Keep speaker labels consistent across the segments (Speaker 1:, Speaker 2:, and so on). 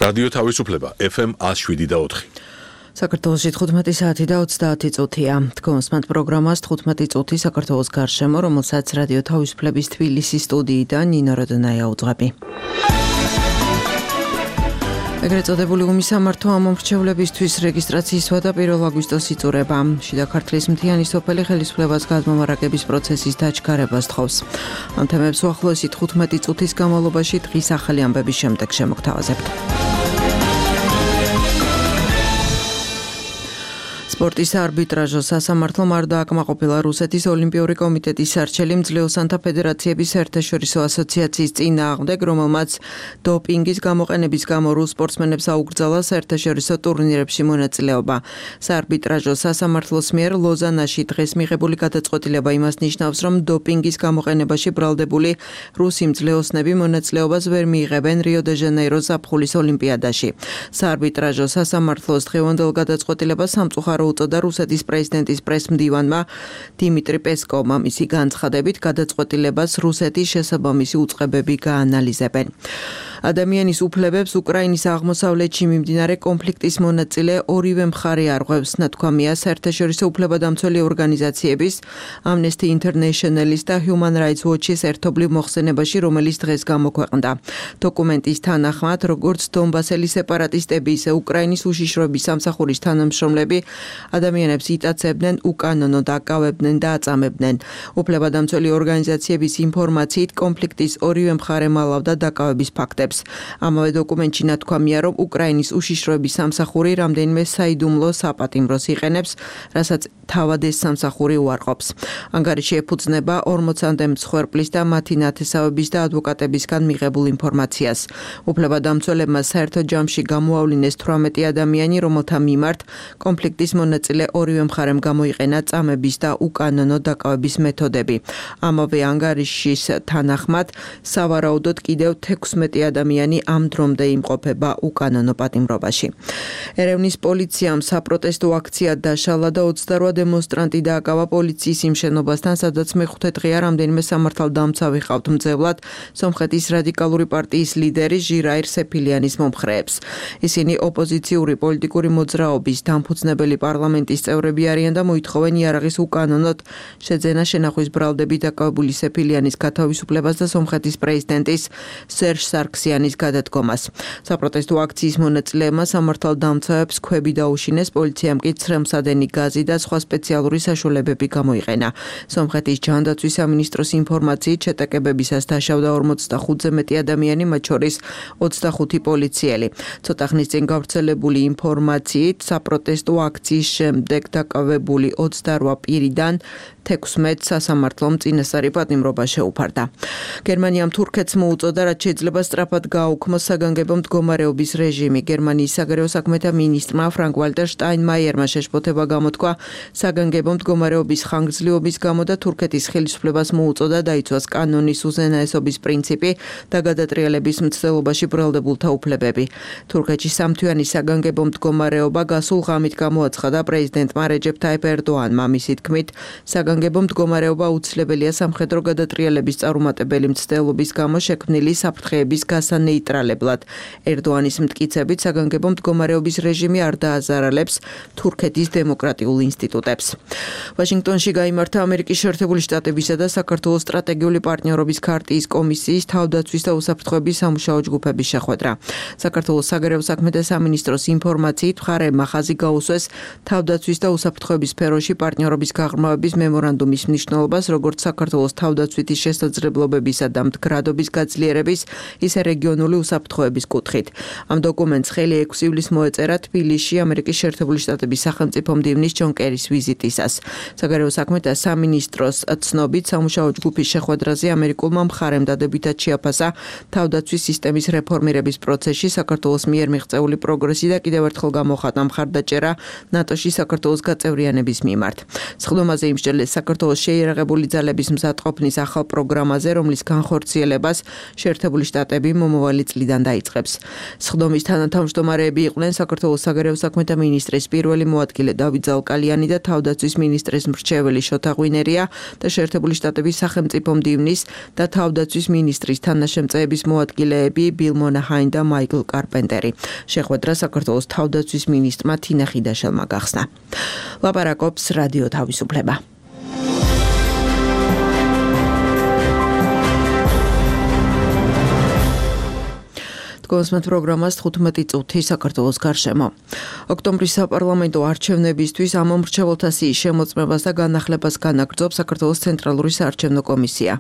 Speaker 1: რადიო თავისუფლება FM 107.4.
Speaker 2: საქართველოში 15 საათი და 30 წუთია. თქვენსმათ პროგრამას 15 წუთი საქართველოს გარშემო, რომელსაც რადიო თავისუფლების თბილისის სტუდიიდან ნინო როდონაია უძღვები. ეგრეთ წოდებული უმისამართო ამომრჩევლებისთვის რეგისტრაციის და 1 აგვისტოს იწურება. შიდა ქართლის მთიანი სოფელი ხელისუფლებას გადმომარაგების პროცესის დაჩქარებას თხოვს. ამ თემებს უახლოესი 15 წუთის განმავლობაში დღის ახალი ამბების შემდეგ შემოგთავაზებთ. სპორტის არბიტრაჟო სასამართლომ არ დააკმაყოფილა რუსეთის ოლიმპიური კომიტეტის არჩელი მძლეოსანთა ფედერაციების საერთაშორისო ასოციაციის წინააღმდეგ, რომელმაც დოპინგის გამოყენების გამო რუს სპორტსმენებს აუკრძალა საერთაშორისო ტურნირებში მონაწილეობა. საარბიტრაჟო სასამართლოს მიერ ლოზანაში დღეს მიღებული გადაწყვეტილება იმას ნიშნავს, რომ დოპინგის გამოყენებაში ბრალდებული რუსი მძლეოსნები მონაწილეობას ვერ მიიღებენ რიო-დე-ჟანეიროს ზაფხულის ოლიმპიადაში. საარბიტრაჟო სასამართლოს დღევანდელ გადაწყვეტილებას სამწუხარო უწოდა რუსეთის პრეზიდენტის პრესმდივანმა დიმიტრი პესკოვმა. მისი განცხადებით გადაწყვეტილებას რუსეთის შესაბამისი უწყებები გაანალიზებენ. ადამიანის უფლებებს უკრაინის აღმოსავლეთში მიმდინარე კონფლიქტის მონაწილე ორივე მხარე არღვევს, ნათქვამია საერთაშორისო უფლებადამცველი ორგანიზაციების Amnesty International-ის და Human Rights Watch-ის ერთობლივ მოხსენებაში, რომელიც დღეს გამოქვეყნდა. დოკუმენტის თანახმად, როგორც დონბასელი სეპარატისტები, ისე უკრაინის უშიშროების სამსახურის თანამშრომლები ადამიანებს იტაცებდნენ, უკანონო დაკავებდნენ და აწამებდნენ. უფლებადამცველი ორგანიზაციების ინფორმაციით, კონფლიქტის ორივე მხარე მალავდა დაკავების ფაქტებს. ამავე დოკუმენტში ნათქვამია, რომ უკრაინის უშიშროების სამსახური რამდენიმე საიდუმლო საპატიმროს იყენებს, რასაც თავად ეს სამსახური უარყოფს. ანგარიში ეფუძნება 40-მდე მსხვერპლის და მათი ნათესავების და ადვოკატებისგან მიღებულ ინფორმაციას. უფლებადამცველებმა საერთო ჯამში გამოავლინეს 18 ადამიანი, რომელთა მიმართ კონფლიქტის მონაწილე ორივე მხარემ გამოიყენა წამების და უკანონო დაკავების მეთოდები. ამავე ანგარიშის თანახმად, სავარაუდოდ კიდევ 16 ადამიანი ამ დრომდე იმყოფება უკანონო პატიმრობაში. ერევნის პოლიციამ საპროტესტო აქცია დაშალა და 28 დემონსტრანტი დააკავა პოლიციის იმ შენობასთან, სადაც მეხუთე დღეა რამდენიმე სამართალდამცავი ჰყავთ მძევლად სომხეთის რადიკალური პარტიის ლიდერი ჟირაირ სეფილიანის მომხრეებს. ისინი ოპოზიციური პოლიტიკური მოძრაობის დამფუძნებელი პარლამენტის წევრები არიან და მოითხოვენ იარაღის უკანონოდ შეძენა შენახვის ბრალდებით დაკავებული სეფილიანის გათავისუფლებას და სომხეთის პრეზიდენტის სერჟ სარქსიანის გადადგომას. საპროტესტო აქციის მონაწილეებმა სამართალდამცავებს ქვები დაუშინეს, პოლიციამ კი ცრემლსადენი გაზი და სხვა სპეციალური საშუალებები გამოიყენა. სომხეთის ჯანდაცვის სამინისტროს ინფორმაციით შეტაკებებისას დაშავდა 45-ზე მეტი ადამიანი, მათ შორის 25 პოლიციელი. ცოტა ხნის წინ გავრცელებული ინფორმაციით საპროტესტო აქციის შემდეგ დაკავებული 28 პირიდან 16 სასამართლომ წინასწარი პატიმრობა შეუფარდა. გერმანიამ თურქეთს მოუწოდა, რაც შეიძლება სწრაფად გააუქმოს საგანგებო მდგომარეობის რეჟიმი. გერმანიის საგარეო საქმეთა მინისტრმა ფრანკ-ვალტერ შტაინმაიერმა შეშფოთება გამოთქვა საგანგებო მდგომარეობის ხანგრძლივობის გამო და თურქეთის ხელისუფლებას მოუწოდა დაიცვას კანონის უზენაესობის პრინციპი და გადატრიალების მცდელობაში ბრალდებულთა უფლებები. თურქეთში სამთვიანი საგანგებო მდგომარეობა გასულ ღამით გამოაცხადა პრეზიდენტმა რეჯეფ ტაიპ ერდოანმა. მისი თქმით, საგანგებო მდგომარეობა აუცილებელია სამხედრო გადატრიალების წარუმატებელი მცდელობის გამო შექმნილი საფრთხეების გასანეიტრალებლად. ერდოანის მტკიცებით, საგანგებო მდგომარეობის რეჟიმი არ დააზარალებს თურქეთის დემოკრატიულ ინსტიტუტებს. ვაშინგტონში გაიმართა ამერიკის შეერთებული შტატებისა და საქართველოს სტრატეგიული პარტნიორობის ქარტიის კომისიის თავდაცვის და უსაფრთხოების სამუშაო ჯგუფების შეხვედრა. საქართველოს საგარეო საქმეთა სამინისტროს ინფორმაციით, მხარეებმა ხაზი გაუსვეს თავდაცვის და უსაფრთხოების სფეროში პარტნიორობის გაღრმავების მემორანდუმის მნიშვნელობას, როგორც საქართველოს თავდაცვითი შესაძლებლობებისა და მდგრადობის გაძლიერების, ისე რეგიონული უსაფრთხოების კუთხით. ამ დოკუმენტს ხელი 6 ივლისს მოეწერა თბილისში ამერიკის შეერთებული შტატების სახელმწიფო მდივნის ჯონ კერის ვიზიტისას. საგარეო საქმეთა სამინისტროს ცნობით, სამუშაო ჯგუფის შეხვედრაზე ამერიკულმა მხარემ დადებითად შეაფასა თავდაცვის სისტემის რეფორმირების პროცესში საქართველოს მიერ მიღწეული პროგრესი და კიდევ ერთხელ გამოხატა მხარდაჭერა ნატოში საქართველოს გაწევრიანების მიმართ. სხდომაზე იმსჯელეს საქართველოს შეიარაღებული ძალების მზადყოფნის ახალ პროგრამაზე, რომლის განხორციელებას შეერთებული შტატები მომავალი წლიდან დაიწყებს. სხდომის თანათავმჯდომარეები იყვნენ საქართველოს საგარეო საქმეთა მინისტრის პირველი მოადგილე დავით ზალკალიანი და თავდაცვის მინისტრის მრჩეველი შოთა ღვინერია და შეერთებული შტატების სახელმწიფო მდივნის და თავდაცვის მინისტრის თანაშემწეების მოადგილეები ბილ მონაჰაინ და მაიკლ კარპენტერი. შეხვედრა საქართველოს თავდაცვის მინისტრმა თინა ხიდაშელმა გახსნა. ლაპარაკობს რადიო თავისუფლება. კონსმეთ პროგრამას 15 წუთი საქართველოს გარშემო. ოქტომბრის საპარლამენტო არჩევნებისთვის ამომრჩეველთა სიის შემოწმებას და განახლებას განაგრძობს საქართველოს ცენტრალური საარჩევნო კომისია.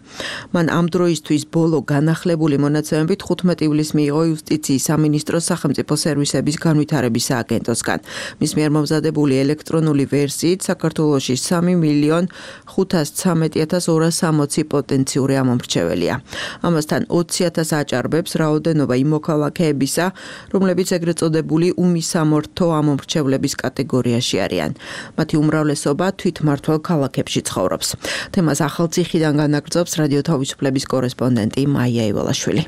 Speaker 2: მან ამ დროისთვის ბოლო განახლებული მონაცემებით 15 ივლისს მიიღო იუსტიციის სამინისტროს სახელმწიფო სერვისების განვითარების სააგენტოსგან. მის მიერ მომზადებული ელექტრონული ვერსიით საქართველოში 3.513.260 პოტენციური ამომრჩეველია. ამასთან 20,000 აჭარბებს რაოდენობა იმოქალაქეებისა, რომლებიც ეგრეთ წოდებული უმისამართო ამომრჩევლების კატეგორიაში არიან. მათი უმრავლესობა თვითმმართველ ქალაქებში ცხოვრობს. თემას ახალციხიდან განაგრძობს რადიო თავისუფლების კორესპონდენტი მაია ივალაშვილი.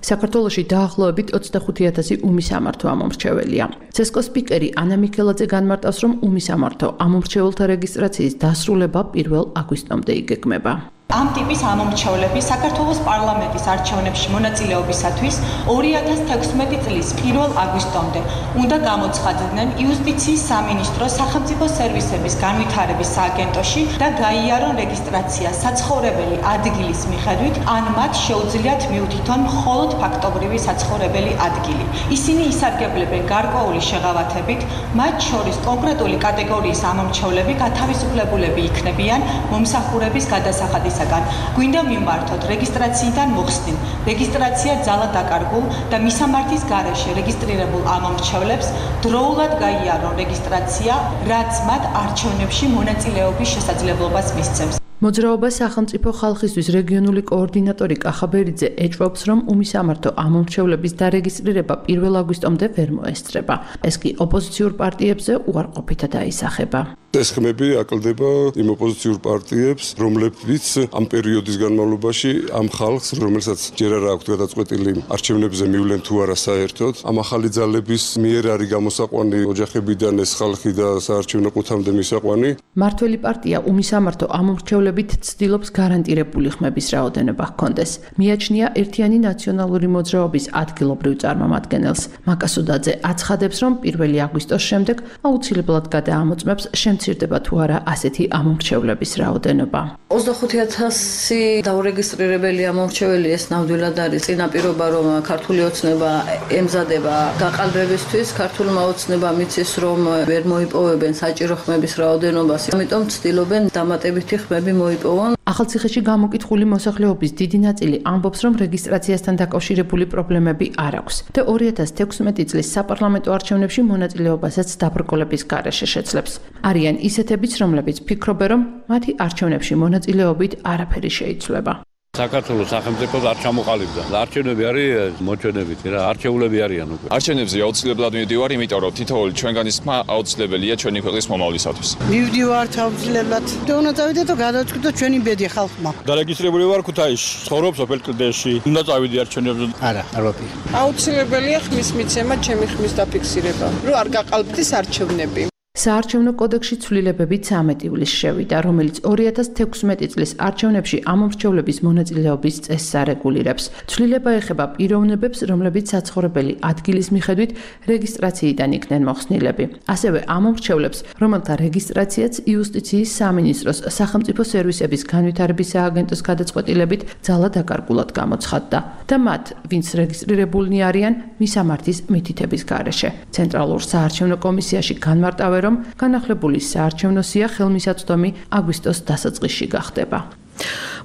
Speaker 3: საქართველოში დაახლოებით 25,000 უმისამართო ამომრჩეველია. ცესკოს სპიკერი ანა მიქელაძე განმარტავს, რომ უმისამართო ამომრჩეველთა რეგისტრაციის დასრულება 1 აგვისტომდე იგეგმება.
Speaker 4: ამ ტიპის ამომრჩევლები საქართველოს პარლამენტის არჩევნებში მონაწილეობისათვის 2016 წლის 1 აგვისტომდე უნდა გამოცხადნენ იუსტიციის სამინისტროს სახელმწიფო სერვისების განვითარების სააგენტოში და გაიარონ რეგისტრაცია საცხოვრებელი ადგილის მიხედვით, ან მათ შეუძლიათ მიუთითონ მხოლოდ ფაქტობრივი საცხოვრებელი ადგილი. ისინი ისარგებლებენ გარკვეული შეღავათებით, მათ შორის კონკრეტული კატეგორიის ამომრჩევლები გათავისუფლებულები იქნებიან მომსახურების გადასახადის გვინდა მიმართოთ რეგისტრაციიდან მოხსნილ, რეგისტრაცია ძალა დაკარგულ და მისამართის გარეშე რეგისტრირებულ ამომრჩევლებს დროულად გაიარონ რეგისტრაცია, რაც მათ არჩევნებში მონაწილეობის შესაძლებლობას მისცემს.
Speaker 3: მოძრაობა სახელმწიფო ხალხისთვის რეგიონული კოორდინატორი კახაბერიძე ეჭვობს, რომ უმისამართო ამომრჩევლების დარეგისტრირება 1 აგვისტომდე ვერ მოესწრება. ეს კი ოპოზიციურ პარტიებზე უარყოფითად აისახება.
Speaker 5: ეს ხმები აკლდება იმ ოპოზიციურ პარტიებს, რომლებიც ამ პერიოდის განმავლობაში ამ ხალხს, რომელსაც ჯერ არ აქვთ გადაწყვეტილი არჩევნებზე მივლენ თუ არა საერთოდ, ამ ახალი ძალების მიერ არის გამოსაყვანი ოჯახებიდან ეს ხალხი და საარჩევნო ყუთამდე მისაყვანი.
Speaker 3: მართველი პარტია უმისამართო ამომრჩევლებით ცდილობს გარანტირებული ხმების რაოდენობა ჰქონდეს. მიაჩნია ერთიანი ნაციონალური მოძრაობის ადგილობრივ წარმომადგენელს. მაკასუდაძე აცხადებს, რომ 1 აგვისტოს შემდეგ აუცილებლად გადაამოწმებს მცირდება თუ არა ასეთი ამომრჩევლების რაოდენობა.
Speaker 6: 25,000 დაურეგისტრირებელი ამომრჩეველი ეს ნამდვილად არის წინაპირობა, რომ ქართული ოცნება ემზადება გაყალბებისთვის, ქართულმა ოცნებამ იცის, რომ ვერ მოიპოვებენ საჭირო ხმების რაოდენობას, ამიტომ ცდილობენ დამატებითი ხმები მოიპოვონ.
Speaker 3: ახალციხეში გამოკითხული მოსახლეობის დიდი ნაწილი ამბობს, რომ რეგისტრაციასთან დაკავშირებული პრობლემები არ აქვს და 2016 წლის საპარლამენტო არჩევნებში მონაწილეობასაც დაბრკოლების გარეშე შეძლებს. არიან ისეთებიც, რომლებიც ფიქრობენ, რომ მათი არჩევნებში მონაწილეობით არაფერი შეიცვლება.
Speaker 7: საქართველოს სახელმწიფოს არ ჩამოყალიბდა. არჩევნები არის მოჩვენებითი რა, არჩეულები არიან უკვე.
Speaker 8: არჩევნებზე აუცილებლად მივდივარ, იმიტომ რომ თითოეული ჩვენგანის ხმა აუცილებელია ჩვენი ქვეყნის მომავლისათვის.
Speaker 9: მივდივართ აუცილებლად. უნდა წავიდე და გადავწყვიტო ჩვენი ბედი ხალხმა.
Speaker 10: დარეგისტრირებული ვარ ქუთაისში, ცხოვრობ სოფელ კლდეში. უნდა წავიდე არჩევნებზე.
Speaker 9: არა, არ ვაპირე.
Speaker 11: აუცილებელია ხმის მიცემა, ჩემი ხმის დაფიქსირება, რომ არ გაყალბდეს არჩევნები.
Speaker 3: საარჩევნო კოდექსში ცვლილებები 13 ივლისს შევიდა, რომელიც 2016 წლის არჩევნებში ამომრჩევლების მონაწილეობის წესს არეგულირებს. ცვლილება ეხება პიროვნებებს, რომლებიც საცხოვრებელი ადგილის მიხედვით რეგისტრაციიდან იქნენ მოხსნილები. ასევე ამომრჩევლებს, რომელთა რეგისტრაციაც იუსტიციის სამინისტროს სახელმწიფო სერვისების განვითარების სააგენტოს გადაწყვეტილებით ძალა დაკარგულად გამოცხადდა და მათ, ვინც რეგისტრირებულნი არიან, მისამართის მითითების გარეშე. ცენტრალურ საარჩევნო კომისიაში განმარტავენ, რომ განახლებული საარჩევნო სია ხელმისაწვდომი აგვისტოს დასაწყისში გახდება.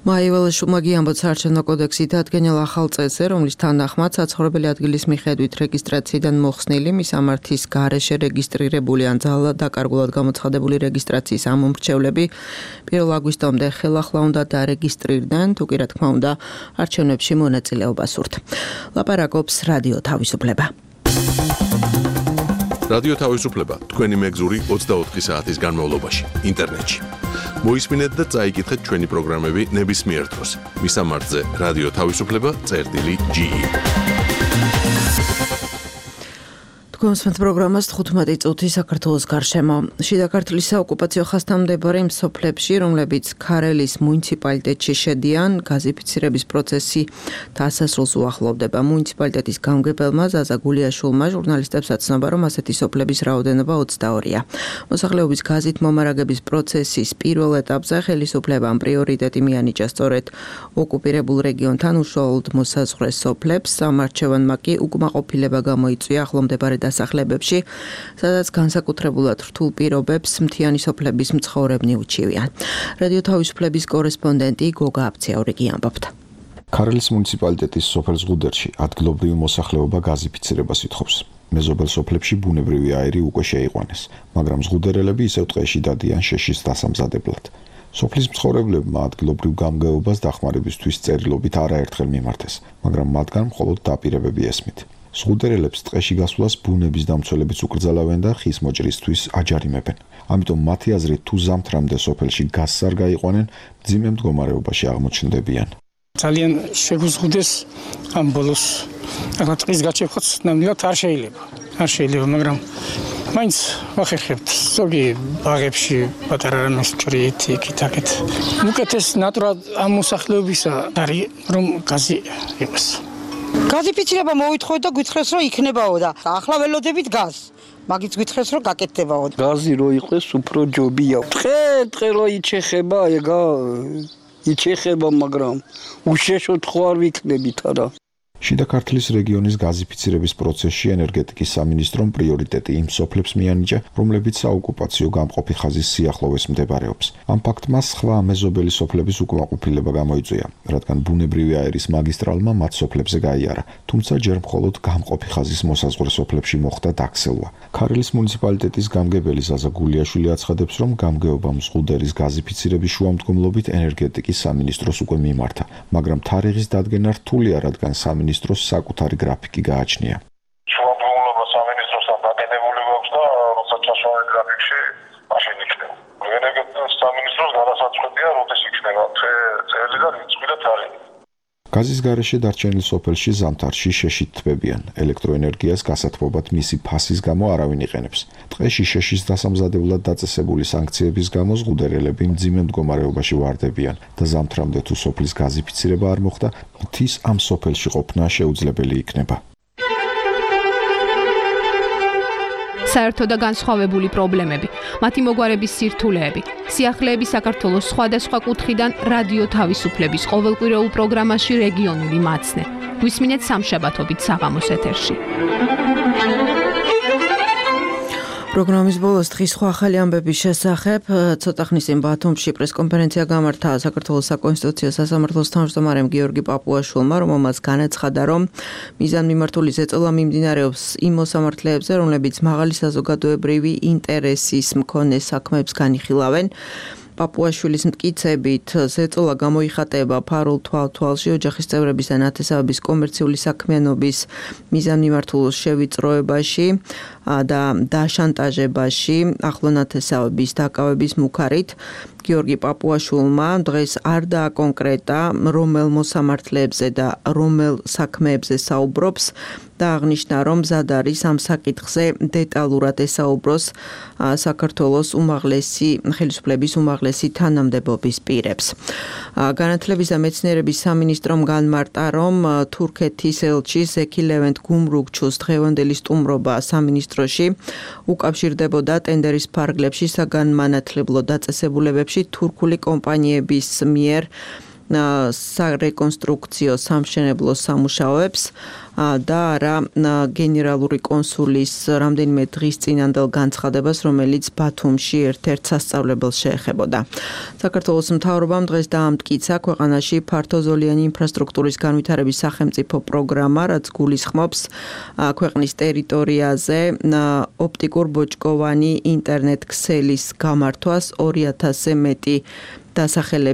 Speaker 2: მაიველაშვილმა გიამბოთ საარჩევნო კოდექსით ადგენილ ახალ წესზე, რომლის თანახმად საცხოვრებელი ადგილის მიხედვით რეგისტრაციიდან მოხსნილი მისამართის გარეშე რეგისტრირებული ან ძალა დაკარგულად გამოცხადებული რეგისტრაციის ამომრჩევლები 1 აგვისტომდე ხელახლა უნდა დარეგისტრირდნენ, თუ კი რა თქმა უნდა არჩევნებში მონაწილეობას სურთ. ლაპარაკობს რადიო თავისუფლება.
Speaker 1: რადიო თავისუფლება თქვენი მეგზური 24 საათის განმავლობაში ინტერნეტში მოისმინეთ და წაიკითხეთ ჩვენი პროგრამები ნებისმიერ დროს. მისამართზე რადიო თავისუფლება წერტილი.ge.
Speaker 2: Კონსვენთ პროგრამას 15 წუთი საქართველოს გარშემო. შიდა ქართლის საოკუპაციო ხასთან მდებარე მსოფლებში, რომლებიც ქარელის მუნიციპალიტეტში შედიან, გაზიფიცირების პროცესი დასასრულს უახლოვდება. მუნიციპალიტეტის გამგებელმა ზაზა გულიაშვილმა ჟურნალისტებს აცნობა, რომ ასეთი სოფლების რაოდენობა 22-ია. მოსახლეობის გაზით მომარაგების პროცესის პირველ ეტაპზე ხელისუფლებამ პრიორიტეტი მიანიჭა სწორედ ოკუპირებულ რეგიონთან უშუალოდ მოსაზღვრე სოფლებს. სამარჩევანმა კი უკმაყოფილება გამოიწვია ახლომდებარე დასახლებებში, სადაც განსაკუთრებულად რთულ პირობებს მთიანი სოფლების მცხოვრებნი უჩივიან. რადიო თავისუფლების კორესპონდენტი გოგა აფციაურიგი ამბობდა.
Speaker 12: ქარელის მუნიციპალიტეტის სოფელ ზღუდერში ადგილობრივი მოსახლეობა გაზიფიცირებას ითხოვს. მეზობელ სოფლებში ბუნებრივი აირი უკვე შეიყვანეს, მაგრამ ზღუდერელები ისევ ტყეში დადიან შეშის დასამზადებლად. სოფლის მცხოვრებლებმა ადგილობრივ გამგეობას დახმარებისთვის წერილობით არაერთხელ მიმართეს, მაგრამ მათგან მხოლოდ დაპირებები ესმით. ზღუდერელებს ტყეში გასვლას ბუნების დამცველებიც უკრძალავენ და ხის მოჭრისთვის აჯარიმებენ. ამიტომ მათი აზრით თუ ზამთრამდე სოფელში გაზს არ გაიყვანენ, მძიმე მდგომარეობაში აღმოჩნდებიან.
Speaker 13: ძალიან შეგუზღუდეს ამ ბოლოს. ახლა ტყის გაჩერხოთ ნამდვილად არ შეიძლება, მაგრამ მაინც ვახერხებთ ზოგი ბაღებში პატარა რამეს ჭრით იქით-აქეთ. უკეთეს ნატურად ამ მოსახლეობისა არის რომ გაზი იყოს.
Speaker 9: გაზიფიცირება მოვითხოვეთ და გითხრეს რომ იქნებაო და ახლა ველოდებით გაზს. მაგით გითხრეს რომ გაკეთდებაო.
Speaker 14: გაზი რო იყოს უფრო ჯობია. ტყე რო იჩეხება, იჩეხება, მაგრამ უშეშოდ ხო არ ვიქნებით არა.
Speaker 12: შიდა ქართლის რეგიონის გაზიფიცირების პროცესში ენერგეტიკის სამინისტრომ პრიორიტეტი იმ სოფლებს მიანიჭა, რომლებიც საოკუპაციო გამყოფი ხაზის სიახლოვეს მდებარეობს. ამ ფაქტმა სხვა მეზობელი სოფლების უკმაყოფილება გამოიწვია, რადგან ბუნებრივი აირის მაგისტრალმა მათ სოფლებზე გაიარა, თუმცა ჯერ მხოლოდ გამყოფი ხაზის მოსაზღვრე სოფლებში მოხდა დაქსელვა. ქარელის მუნიციპალიტეტის გამგებელი ზაზა გულიაშვილი აცხადებს, რომ გამგეობამ ზღუდერის გაზიფიცირების შუამდგომლობით ენერგეტიკის სამინისტროს უკვე მიმართა, მაგრამ თარიღის დადგენა რთულია, რადგან სამინისტროს საკუთარი გრაფიკი გააჩნია.
Speaker 15: შუამდგომლობა სამინისტროსთან დაკიდებული გვაქვს და როცა ჩასვლა გრაფიკში, მაშინ იქნება. ენერგეტიკის სამინისტროს გადასაწყვეტია, როდის იქნება წელი და რიცხვი და თარიღი.
Speaker 12: გაზის გარეშე დარჩენილ სოფელში ზამთარში შეშით თბებიან. ელექტროენერგიას გასათბობად მისი ფასის გამო არავინ იყენებს. ტყეში შეშის დასამზადებლად დაწესებული სანქციების გამო ზღუდერელები მძიმე მდგომარეობაში ვარდებიან და ზამთრამდე თუ სოფლის გაზიფიცირება არ მოხდა, მთის ამ სოფელში ყოფნა შეუძლებელი იქნება.
Speaker 16: საერთო და განსხვავებული პრობლემები, მათი მოგვარების სირთულეები, სიახლეები საქართველოს სხვადასხვა კუთხიდან რადიო თავისუფლების ყოველკვირეულ პროგრამაში რეგიონული მაცნე. გვისმინეთ სამშაბათობით საღამოს ეთერში.
Speaker 2: პროგრამის ბოლოს დღის სხვა ახალი ამბების შესახებ ცოტა ხნის წინ ბათუმში პრესკონფერენცია გამართა საქართველოს საკონსტიტუციო სასამართლოს თავმჯდომარემ გიორგი პაპუაშვილმა, რომელმაც განაცხადა, რომ მიზანმიმართული ზეწოლა მიმდინარეობს იმ მოსამართლეებზე, რომლებიც მაღალი საზოგადოებრივი ინტერესის მქონე საქმეებს განიხილავენ. პაპუაშვილის მტკიცებით ზეწოლა გამოიხატება ფარულ თვალთვალში ოჯახის წევრების და ნათესავების კომერციული საქმიანობის მიზანმიმართულ შევიწროებაში და დაშანტაჟებაში ახლო ნათესავების დაკავების მუქარით. გიორგი პაპუაშვილმა დღეს არ დააკონკრეტა რომელ მოსამართლეებზე და რომელ საქმეებზე საუბრობს და აღნიშნა, რომ მზად არის ამ საკითხზე დეტალურად ესაუბროს საქართველოს ხელისუფლების უმაღლესი თანამდებობის პირებს. განათლების და მეცნიერების სამინისტრომ განმარტა, რომ თურქეთის ელჩი ზექი ლევენტ გუმრუგჩუს დღევანდელი სტუმრობა სამინისტროში უკავშირდებოდა ტენდერის ფარგლებში საგანმანათლებლო დაწესებულებებში თურქული კომპანიების მიერ სარეკონსტრუქციო სამშენებლო სამუშაოებს და არა გენერალური კონსულის რამდენიმე დღის წინანდელ განცხადებას, რომელიც ბათუმში ერთ-ერთ სასწავლებელს შეეხებოდა. საქართველოს მთავრობამ დღეს დაამტკიცა ქვეყანაში ფართოზოლიანი ინფრასტრუქტურის განვითარების სახელმწიფო პროგრამა, რაც გულისხმობს ქვეყნის ტერიტორიაზე ოპტიკურ ბოჭკოვანი ინტერნეტ ქსელის გამართვას 2000-ზე მეტი დასახელების